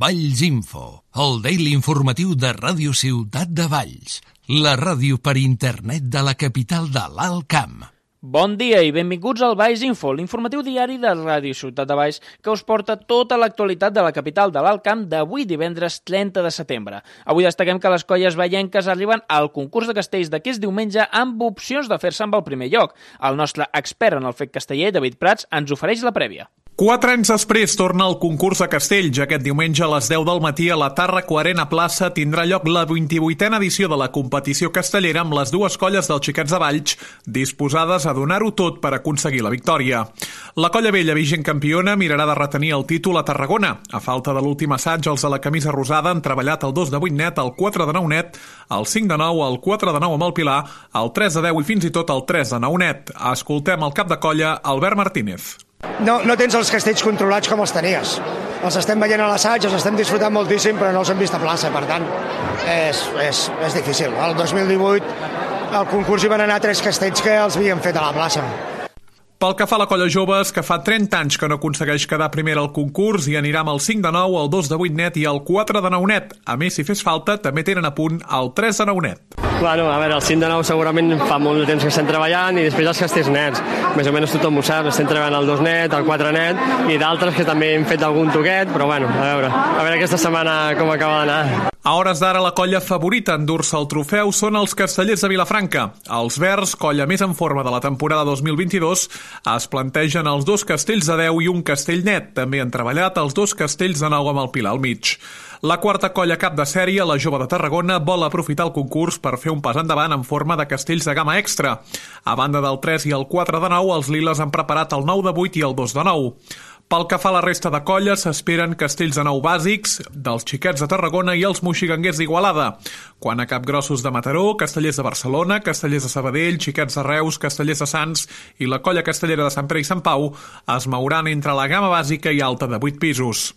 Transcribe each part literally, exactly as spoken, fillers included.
Valls Info, el daily informatiu de Ràdio Ciutat de Valls, la ràdio per internet de la capital de l'Alt Camp. Bon dia i benvinguts al Valls Info, l'informatiu diari de Ràdio Ciutat de Valls que us porta tota l'actualitat de la capital de l'Alt Camp d'avui divendres trenta de setembre. Avui destaquem que les colles vallenques arriben al concurs de castells d'aquest diumenge amb opcions de fer-se amb el primer lloc. El nostre expert en el fet casteller, David Prats, ens ofereix la prèvia. Quatre anys després torna el concurs de castells. Aquest diumenge a les deu del matí a la Tàrraco Arena Plaça tindrà lloc la vint-i-vuitena edició de la competició castellera amb les dues colles dels Xiquets de Valls disposades a donar-ho tot per aconseguir la victòria. La colla vella, vigent campiona, mirarà de retenir el títol a Tarragona. A falta de l'últim assaig, els de la camisa rosada han treballat el dos de vuit net, el quatre de nou net, el cinc de nou, el quatre de nou amb el Pilar, el tres de deu i fins i tot el tres de nou net. Escoltem el cap de colla, Albert Martínez. No, no tens els castells controlats com els tenies. Els estem veient a l'assaig, els estem disfrutant moltíssim, però no els hem vist a plaça, per tant, és, és, és difícil. El dos mil divuit al concurs hi van anar tres castells que els havíem fet a la plaça. Pel que fa a la colla joves, que fa trenta anys que no aconsegueix quedar primera al concurs i anirà amb el cinc de nou, el dos de vuit net i el quatre de nou net. A més, si fes falta, també tenen a punt el tres de nou net. Bueno, a veure, el cinc de nou segurament fa molt de temps que estem treballant i després els castells nets. Més o menys tothom ho sap, estem treballant el dos net, el quatre net i d'altres que també hem fet algun toquet, però bueno, a veure, a veure aquesta setmana com acaba d'anar. A hores d'ara, la colla favorita en dur-se el trofeu són els castellers de Vilafranca. Els verds, colla més en forma de la temporada dos mil vint-i-dos, es plantegen els dos castells de deu i un castell net. També han treballat els dos castells de nou amb el Pilar al mig. La quarta colla cap de sèrie, la Jove de Tarragona, vol aprofitar el concurs per fer un pas endavant en forma de castells de gamma extra. A banda del tres i el quatre de nou, els liles han preparat el nou de vuit i el dos de nou. Pel que fa a la resta de colles, s'esperen castells de nou bàsics dels Xiquets de Tarragona i els moxiganguers d'Igualada. Quan a capgrossos de Mataró, castellers de Barcelona, castellers de Sabadell, Xiquets de Reus, castellers de Sants i la colla castellera de Sant Pere i Sant Pau es mouran entre la gamma bàsica i alta de vuit pisos.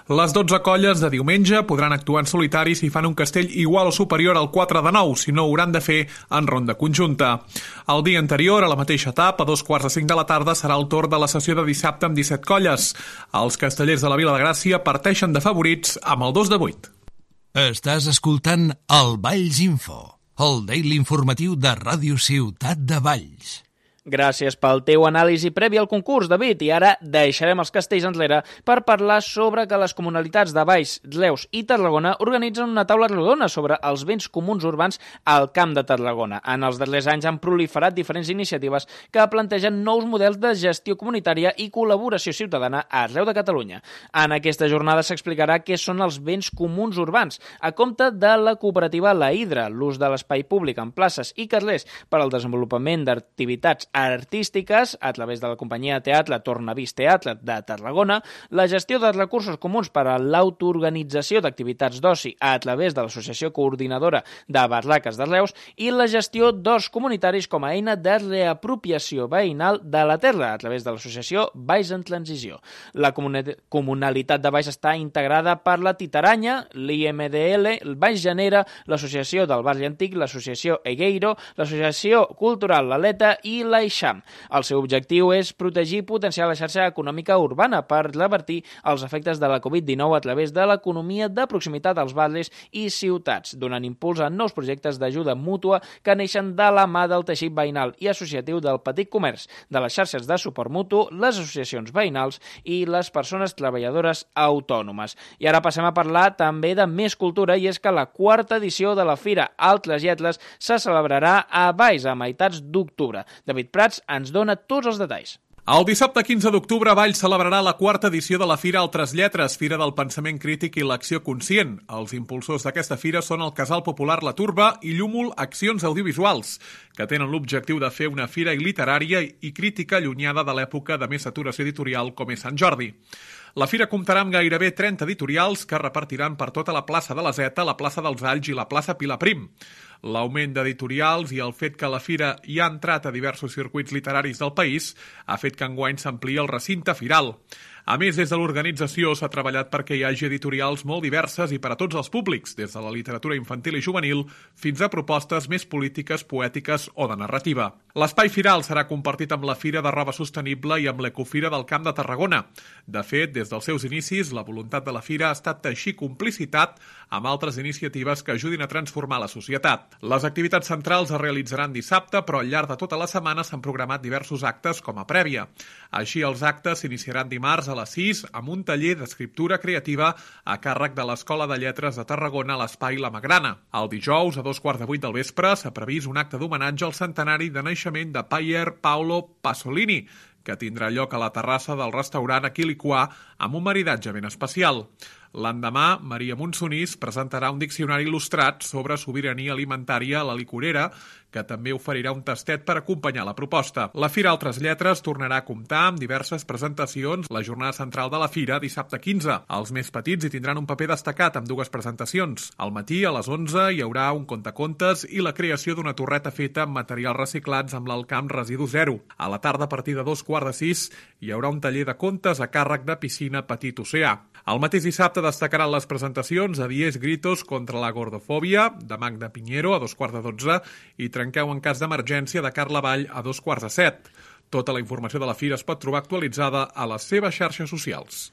Les dotze colles de diumenge podran actuar en solitari si fan un castell igual o superior al quatre de nou, si no ho hauran de fer en ronda conjunta. El dia anterior, a la mateixa etapa, a dos quarts de cinc de la tarda, serà el torn de la sessió de dissabte amb disset colles. Els castellers de la Vila de Gràcia parteixen de favorits amb el dos de vuit. Estàs escoltant el Valls Info, el daily informatiu de Ràdio Ciutat de Valls. Gràcies pel teu anàlisi previ al concurs, David, i ara deixarem els castells enrere per parlar sobre que les comunalitats de Valls, Reus i Tarragona organitzen una taula rodona sobre els béns comuns urbans al Camp de Tarragona. En els darrers anys han proliferat diferents iniciatives que plantegen nous models de gestió comunitària i col·laboració ciutadana arreu de Catalunya. En aquesta jornada s'explicarà què són els béns comuns urbans, a compte de la cooperativa La Hidra, l'ús de l'espai públic en places i carrers per al desenvolupament d'activitats artístiques a través de la companyia de teatre Tornavís Teatre de Tarragona, la gestió de recursos comuns per a l'autoorganització d'activitats d'oci a través de l'Associació Coordinadora de Barraques de Reus i la gestió d'horts comunitaris com a eina de reapropiació veïnal de la terra a través de l'Associació Valls en Transició. La comunalitat de Valls està integrada per la Titaranya, l'I M D L, el Valls Genera, l'Associació del Barri Antic, l'Associació Egueiro, l'Associació Cultural L'Aleta i la Eixam. El seu objectiu és protegir i potenciar la xarxa econòmica urbana per revertir els efectes de la covid dinou a través de l'economia de proximitat als barris i ciutats, donant impuls a nous projectes d'ajuda mútua que neixen de la mà del teixit veïnal i associatiu del petit comerç, de les xarxes de suport mutu, les associacions veïnals i les persones treballadores autònomes. I ara passem a parlar també de més cultura, i és que la quarta edició de la Fira Altres Lletres se celebrarà a Valls a meitats d'octubre. David Prats ens dona tots els detalls. El dissabte quinze d'octubre, Valls celebrarà la quarta edició de la Fira Altres Lletres, Fira del Pensament Crític i l'Acció Conscient. Els impulsors d'aquesta fira són el Casal Popular La Turba i Llúmol Accions Audiovisuals, que tenen l'objectiu de fer una fira literària i crítica allunyada de l'època de més saturació editorial com és Sant Jordi. La fira comptarà amb gairebé trenta editorials que repartiran per tota la plaça de la Zeta, la plaça dels Alls i la plaça Pilar Prim. L'augment d'editorials i el fet que la fira hi ha entrat a diversos circuits literaris del país ha fet que enguany s'ampliï el recinte firal. A més, des de l'organització s'ha treballat perquè hi hagi editorials molt diverses i per a tots els públics, des de la literatura infantil i juvenil fins a propostes més polítiques, poètiques o de narrativa. L'espai firal serà compartit amb la Fira de Roba Sostenible i amb l'Ecofira del Camp de Tarragona. De fet, des dels seus inicis, la voluntat de la Fira ha estat teixir complicitat amb altres iniciatives que ajudin a transformar la societat. Les activitats centrals es realitzaran dissabte, però al llarg de tota la setmana s'han programat diversos actes com a prèvia. Així, els actes s'iniciaran dimarts a les sis amb un taller d'escriptura creativa a càrrec de l'Escola de Lletres de Tarragona a l'Espai La Magrana. El dijous, a dos quarts de vuit del vespre, s'ha previst un acte d'homenatge al centenari de naixement de Pier Paolo Pasolini, que tindrà lloc a la terrassa del restaurant Aquiliquà amb un maridatge ben especial. L'endemà, Maria Monsonís presentarà un diccionari il·lustrat sobre sobirania alimentària a la licorera, que també oferirà un tastet per acompanyar la proposta. La Fira Altres Lletres tornarà a comptar amb diverses presentacions la jornada central de la Fira dissabte quinze. Els més petits hi tindran un paper destacat amb dues presentacions. Al matí, a les onze, hi haurà un contacontes i la creació d'una torreta feta amb materials reciclats amb l'Alcamp Residu Zero. A la tarda, a partir de dos quarts de sis, hi haurà un taller de contes a càrrec de Piscina Petit Oceà. El mateix dissabte destacaran les presentacions a Diez Gritos contra la gordofòbia, de Magda Piñero, a dos quarts de dotze, i Trenqueu en cas d'emergència, de Carla Vall, a dos quarts de set. Tota la informació de la Fira es pot trobar actualitzada a les seves xarxes socials.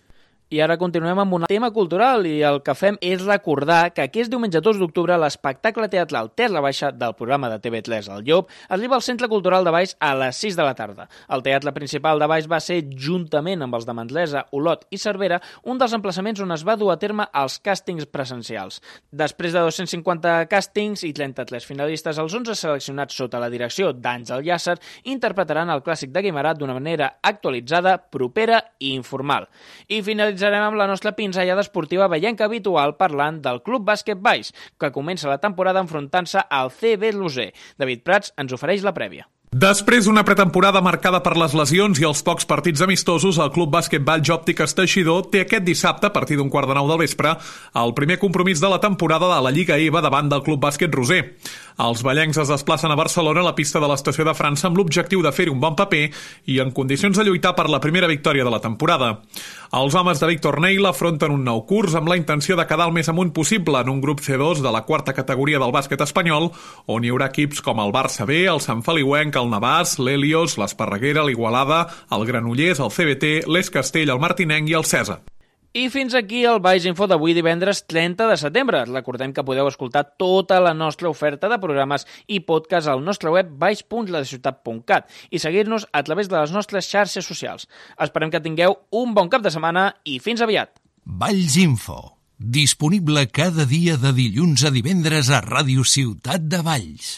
I ara continuem amb un tema cultural i el que fem és recordar que aquest diumenge dos d'octubre l'espectacle teatral Terra Baixa del programa de T V tres El Llop arriba al Centre Cultural de Valls a les sis de la tarda. El teatre principal de Valls va ser, juntament amb els de Manresa, Olot i Cervera, un dels emplaçaments on es va dur a terme els càstings presencials. Després de dos-cents cinquanta càstings i trenta-tres finalistes, els onze seleccionats sota la direcció d'Àngel Llàcer interpretaran el clàssic de Guimerà d'una manera actualitzada, propera i informal. I finalitzarem amb la nostra pinzellada esportiva veienca habitual parlant del Club Bàsquet Valls, que comença la temporada enfrontant-se al C B Loser. David Prats ens ofereix la prèvia. Després d'una pretemporada marcada per les lesions i els pocs partits amistosos, el Club Bàsquet Valls Òptiques Teixidor té aquest dissabte, a partir d'un quart de nou del vespre, el primer compromís de la temporada de la Lliga EVA davant del Club Bàsquet Roser. Els vallencs es desplacen a Barcelona a la pista de l'Estació de França amb l'objectiu de fer un bon paper i en condicions de lluitar per la primera victòria de la temporada. Els homes de Víctor Neil afronten un nou curs amb la intenció de quedar el més amunt possible en un grup C dos de la quarta categoria del bàsquet espanyol, on hi haurà equips com el Barça B, el Sant Feliuenc, el Navàs, l'Helios, l'Esparreguera, l'Igualada, el Granollers, el C B T, l'Es Castell, el Martinenc i el Cesa. I fins aquí el Valls Info d'avui divendres trenta de setembre. Recordem que podeu escoltar tota la nostra oferta de programes i podcast al nostre web valls punt la ciutat punt cat i seguir-nos a través de les nostres xarxes socials. Esperem que tingueu un bon cap de setmana i fins aviat. Valls Info, disponible cada dia de dilluns a divendres a Ràdio Ciutat de Valls.